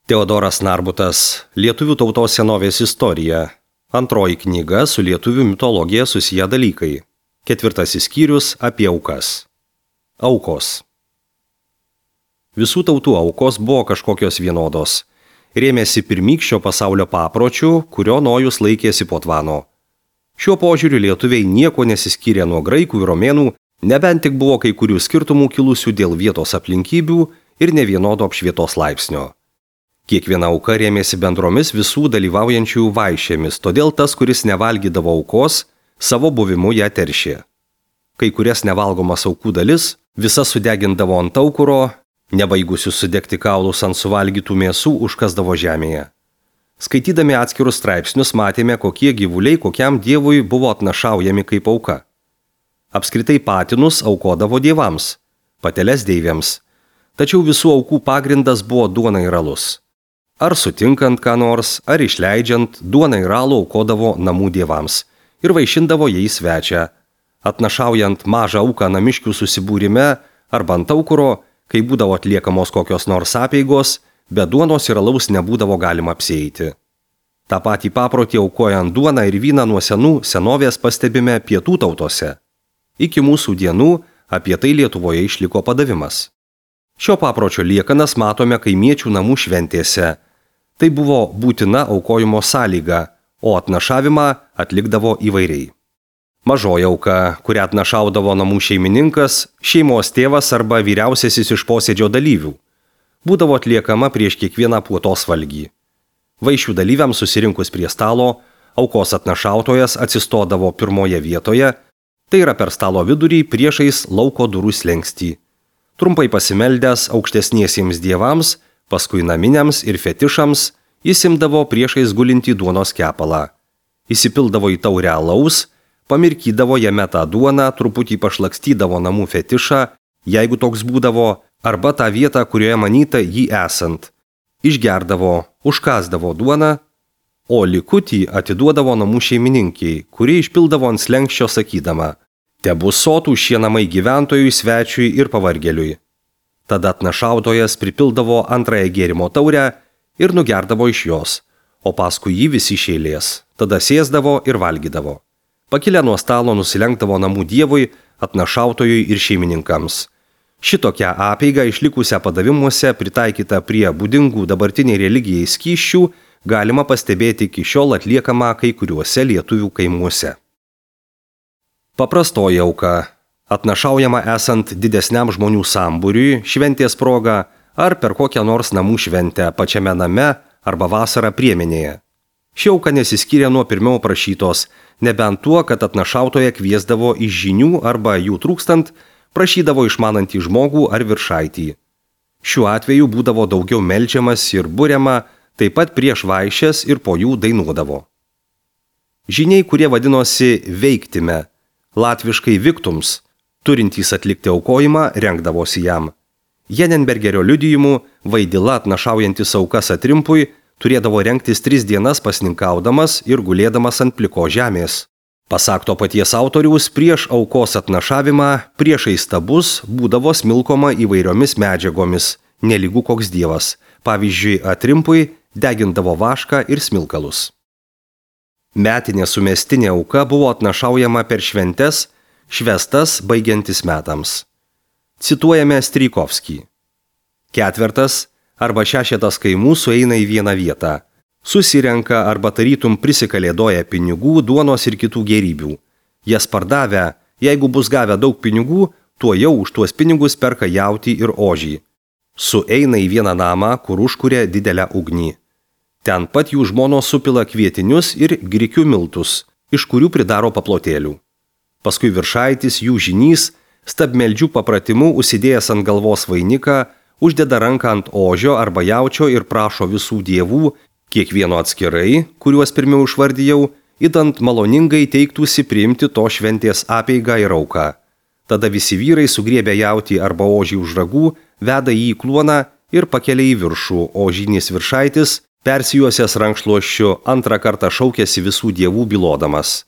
Teodoras Narbutas, Lietuvių tautos senovės istorija. Antroji knyga su lietuvių mitologija susiję dalykai. 4 skyrius apie aukas. Aukos. Visų tautų aukos buvo kažkokios vienodos. Rėmėsi pirmykščio pasaulio papročių, kurio Nojus laikėsi po tvano. Šiuo požiūriu lietuviai nieko nesiskyrė nuo graikų ir romėnų, nebent tik buvo kai kurių skirtumų kilusių dėl vietos aplinkybių ir nevienodo apšvietos laipsnio. Kiekviena auka rėmėsi bendromis visų dalyvaujančiųjų vaišėmis, todėl tas, kuris nevalgydavo aukos, savo buvimu ją teršė. Kai kurias nevalgomas aukų dalis visas sudegindavo ant aukuro, nebaigusius sudegti kaulus ant suvalgytų mėsų užkasdavo žemėje. Skaitydami atskirus straipsnius matėme, kokie gyvuliai kokiam dievui buvo atnašaujami kaip auka. Apskritai patinus aukodavo dievams, pateles deivėms, tačiau visų aukų pagrindas buvo duona ir alus. Ar sutinkant ką nors, ar išleidžiant, duoną ir alų aukodavo namų dievams ir vaišindavo jais svečią. Atnašaujant mažą auką namiškių susibūrime arba ant aukuro, kai būdavo atliekamos kokios nors apeigos, be duonos ir alaus nebūdavo galima apsieiti. Ta patį paprotį aukojant duoną ir vyną nuo senovės pastebime pietų tautose. Iki mūsų dienų apie tai Lietuvoje išliko padavimas. Šio papročio liekanas matome kaimiečių namų šventėse. Tai buvo būtina aukojimo sąlyga, o atnašavimą atlikdavo įvairiai. Mažoji auka, kurią atnašaudavo namų šeimininkas, šeimos tėvas arba vyriausiasis iš posėdžio dalyvių, būdavo atliekama prieš kiekvieną puotos valgį. Vaišių dalyviams susirinkus prie stalo, aukos atnašautojas atsistodavo pirmoje vietoje, tai yra per stalo vidurį priešais lauko durų slenkstį. Trumpai pasimeldęs aukštesniesiems dievams, paskui naminiams ir fetišams, jis imdavo priešais gulintį duonos kepalą. Įsipildavo į taurę alaus, pamirkydavo jame tą duoną, truputį pašlakstydavo namų fetišą, jeigu toks būdavo, arba tą vietą, kurioje manyta jį esant. Išgerdavo, užkasdavo duoną, o likutį atiduodavo namų šeimininkiai, kuri išpildavo ant slenkščio sakydama: "Tebus sotų šie namai gyventojui, svečiui ir pavargėliui." Tada atnašautojas pripildavo antrąją gėrimo taurę ir nugerdavo iš jos, o paskui jį visi iš eilės. Tada sėsdavo ir valgydavo. Pakilę nuo stalo nusilenkdavo namų dievui, atnašautojui ir šeimininkams. Šitokią apeigą išlikusią padavimuose pritaikytą prie būdingų dabartiniai religijai skysčių galima pastebėti iki šiol atliekamą kai kuriuose lietuvių kaimuose. Paprastoji auka. Atnašaujama esant didesniam žmonių sambūriui, šventės proga ar per kokią nors namų šventę pačiame name arba vasarą priemenėje. Ši auka nesiskyrė nuo pirmiau prašytos, nebent tuo, kad atnašautoje kviesdavo iš žinių arba jų trūkstant, prašydavo išmanantį žmogų ar viršaitį. Šiuo atveju būdavo daugiau meldžiamas ir buriama, taip pat prieš vaišes ir po jų dainuodavo. Žiniai, kurie vadinosi veiktime, latviškai viktums, turintys atlikti aukojimą, rengdavosi jam. Jenenbergerio liudijimu vaidila atnašaujantis aukas atrimpui turėdavo rengtis 3 dienas pasninkaudamas ir gulėdamas ant pliko žemės. Pasak to paties autoriaus, prieš aukos atnašavimą priešais stabus būdavo smilkoma įvairiomis medžiagomis, nelygų koks dievas. Pavyzdžiui, atrimpui degindavo vašką ir smilkalus. Metinė sumestinė auka buvo atnašaujama per šventes, švestas baigiantis metams. Cituojame Strijkovskį. 4 arba 6 kaimų sueina į vieną vietą. Susirenka arba tarytum prisikalėdoja pinigų, duonos ir kitų gėrybių. Jas pardavę, jeigu bus gavę daug pinigų, tuo jau už tuos pinigus perka jautį ir ožį. Sueina į vieną namą, kur užkuria didelę ugnį. Ten pat jų žmonos supila kvietinius ir grikių miltus, iš kurių pridaro paplotėlių. Paskui viršaitis, jų žinys, stabmeldžių papratimu užsidėjęs ant galvos vainiką, uždeda ranką ant ožio arba jaučio ir prašo visų dievų, kiekvieno atskirai, kuriuos pirmiau išvardijau, idant maloningai teiktųsi priimti to šventės apeigą ir auką. Tada visi vyrai sugriebę jautį arba ožį už ragų, veda jį į kluoną ir pakelia į viršų, o žynys viršaitis, persijuosęs rankšluosčiu, antrą kartą šaukėsi visų dievų bylodamas: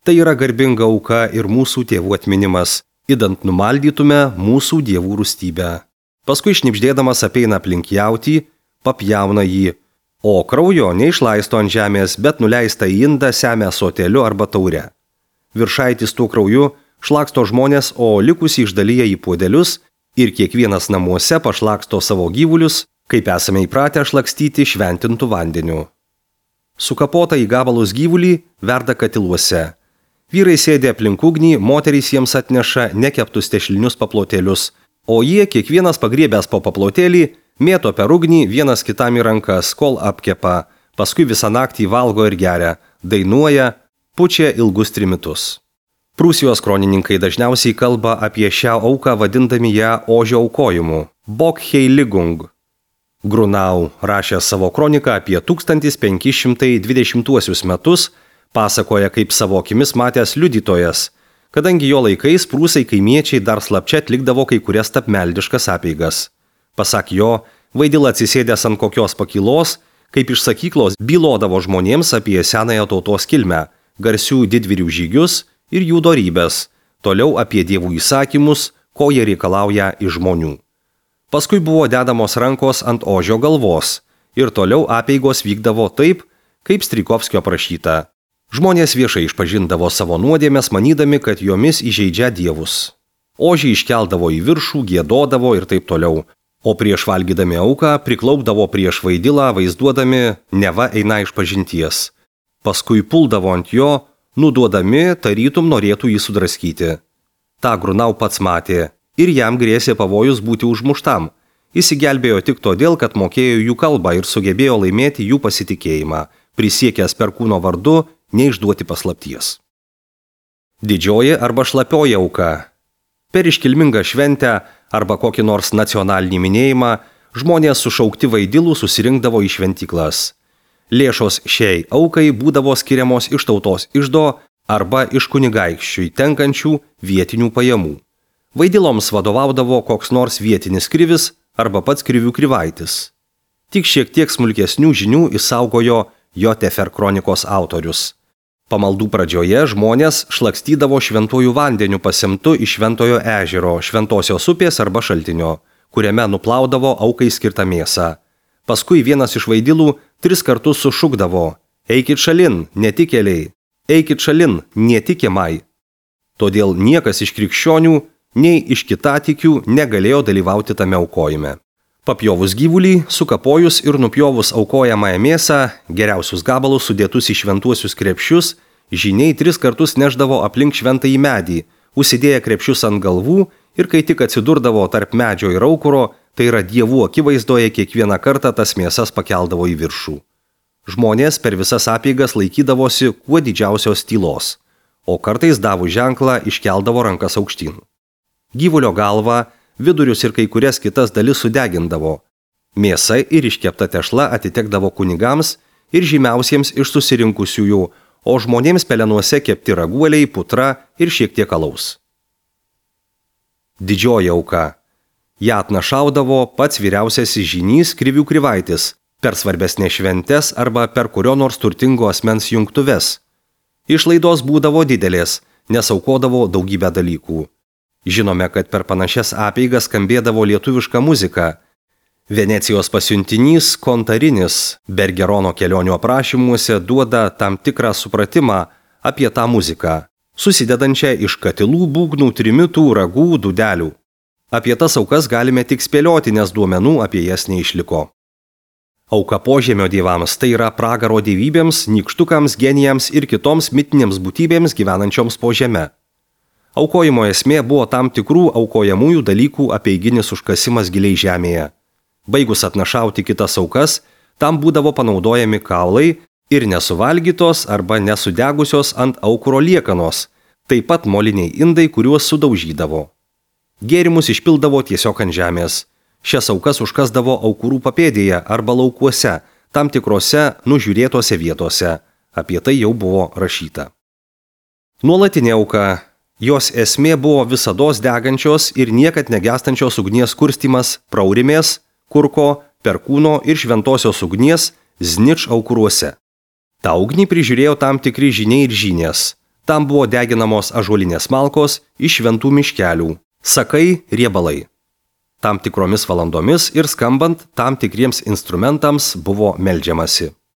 "Tai yra garbinga auka ir mūsų tėvų atminimas, idant numaldytume mūsų dievų rūstybę." Paskui šnibždėdamas apeina aplink jautį, papjauna jį, o kraujo neišlaisto ant žemės, bet nuleista į indą semia ąsotėliu arba taure. Viršaitis tuo krauju šlaksto žmonės, o likusį išdalyja į puodelius ir kiekvienas namuose pašlaksto savo gyvulius, kaip esame įpratę šlakstyti šventintų vandeniu. Sukapota į gabalus gyvulį verda katiluose. Vyrai sėdi aplink ugnį, moterys jiems atneša nekeptus tešlinius paplotėlius, o jie, kiekvienas pagriebęs po paplotėlį, mėto per ugnį vienas kitam į rankas, kol apkepa, paskui visą naktį valgo ir geria, dainuoja, pučia ilgus trimitus. Prūsijos kronininkai dažniausiai kalba apie šią auką vadindami ją ožio aukojimu – Bokheiligung. Grunau, rašė savo kroniką apie 1520 metus, pasakoja kaip savo akimis matęs liudytojas, kadangi jo laikais prūsai kaimiečiai dar slapčia atlikdavo kai kurias tapmeldiškas apeigas. Pasak jo, Vaidila atsisėdęs ant kokios pakylos, kaip iš sakyklos bylodavo žmonėms apie senąją tautos kilmę, garsių didvyrių žygius ir jų dorybės, toliau apie dievų įsakymus, ko jie reikalauja iš žmonių. Paskui buvo dedamos rankos ant ožio galvos ir toliau apeigos vykdavo taip, kaip Strijkovskio prašyta. Žmonės viešai išpažindavo savo nuodėmes, manydami, kad jomis įžeidžia dievus. Ožį iškeldavo į viršų, giedodavo ir taip toliau, o prieš valgydami auką priklaupdavo prieš Vaidilą, vaizduodami neva eina išpažinties. Paskui puldavo ant jo, nuduodami, tarytum norėtų jį sudraskyti. Ta Grunau pats matė ir jam grėsė pavojus būti užmuštam. Įsigelbėjo tik todėl, kad mokėjo jų kalbą ir sugebėjo laimėti jų pasitikėjimą, prisiekęs Perkūno vardu neišduoti paslapties. Didžioji arba šlapioji auka. Per iškilmingą šventę arba kokį nors nacionalinį minėjimą žmonės sušaukti Vaidilų susirinkdavo į šventyklas. Lėšos šiai aukai būdavo skiriamos iš tautos iždo arba iš kunigaikščiui tenkančių vietinių pajamų. Vaidiloms vadovaudavo koks nors vietinis krivis arba pats krivių krivaitis. Tik šiek tiek smulkesnių žinių išsaugojo Jotefer kronikos autorius. Pamaldų pradžioje žmonės šlakstydavo šventuoju vandeniu pasemtu iš Šventojo ežero, Šventosios upės arba šaltinio, kuriame nuplaudavo aukai skirtą mėsą. Paskui vienas iš Vaidilų 3 kartus sušukdavo: "Eikit šalin, netikėliai! Eikit šalin, netikimai!" Todėl niekas iš krikščionių, nei iš kitatikių negalėjo dalyvauti tame aukojime. Papjovus gyvulį, sukapojus ir nupjovus aukojamąją mėsą, geriausius gabalus sudėtus į šventuosius krepšius, žyniai 3 kartus neždavo aplink šventąjį medį, užsidėję krepšius ant galvų ir kai tik atsidurdavo tarp medžio ir aukuro, tai yra dievų akivaizdoje kiekvieną kartą tas mėsas pakeldavo į viršų. Žmonės per visas apeigas laikydavosi kuo didžiausios tylos, o kartais davus ženklą iškeldavo rankas aukštyn. Gyvulio galvą, vidurius ir kai kurias kitas dalis sudegindavo. Mėsa ir iškepta tešla atitekdavo kunigams ir žymiausiems iš susirinkusiųjų, o žmonėms pelenuose kepti raguoliai, putra ir šiek tiek alaus. Didžioji auka. Ja atnašaudavo pats vyriausiasis žynys krivių krivaitis per svarbesnės šventes arba per kurio nors turtingo asmens jungtuves. Išlaidos būdavo didelės, nes aukodavo daugybę dalykų. Žinome, kad per panašias apeigas skambėdavo lietuviška muzika. Venecijos pasiuntinys Kontarinis Bergerono kelionių aprašymuose duoda tam tikrą supratimą apie tą muziką, susidedančią iš katilų, būgnų, trimitų, ragų, dūdelių. Apie tas aukas galime tik spėlioti, nes duomenų apie jas neišliko. Auka požemio dievams tai yra pragaro dievybėms, nykštukams, genijams ir kitoms mitinėms būtybėms gyvenančioms po žeme. Aukojimo esmė buvo tam tikrų aukojamųjų dalykų apeiginis užkasimas giliai žemėje. Baigus atnašauti kitas aukas, tam būdavo panaudojami kaulai ir nesuvalgytos arba nesudegusios ant aukuro liekanos, taip pat moliniai indai, kuriuos sudaužydavo. Gėrimus išpildavo tiesiog ant žemės. Šias aukas užkasdavo aukurų papėdėje arba laukuose, tam tikrose nužiūrėtose vietose. Apie tai jau buvo rašyta. Nuolatinė auka. Jos esmė buvo visados degančios ir niekad negestančios ugnies kurstymas Praurimės, Kurko, Perkūno ir Šventosios ugnies Znič aukuruose. Ta ugnį prižiūrėjo tam tikri žyniai ir žynės. Tam buvo deginamos ąžuolinės malkos iš šventų miškelių, sakai, riebalai. Tam tikromis valandomis ir skambant tam tikriems instrumentams buvo meldžiamasi.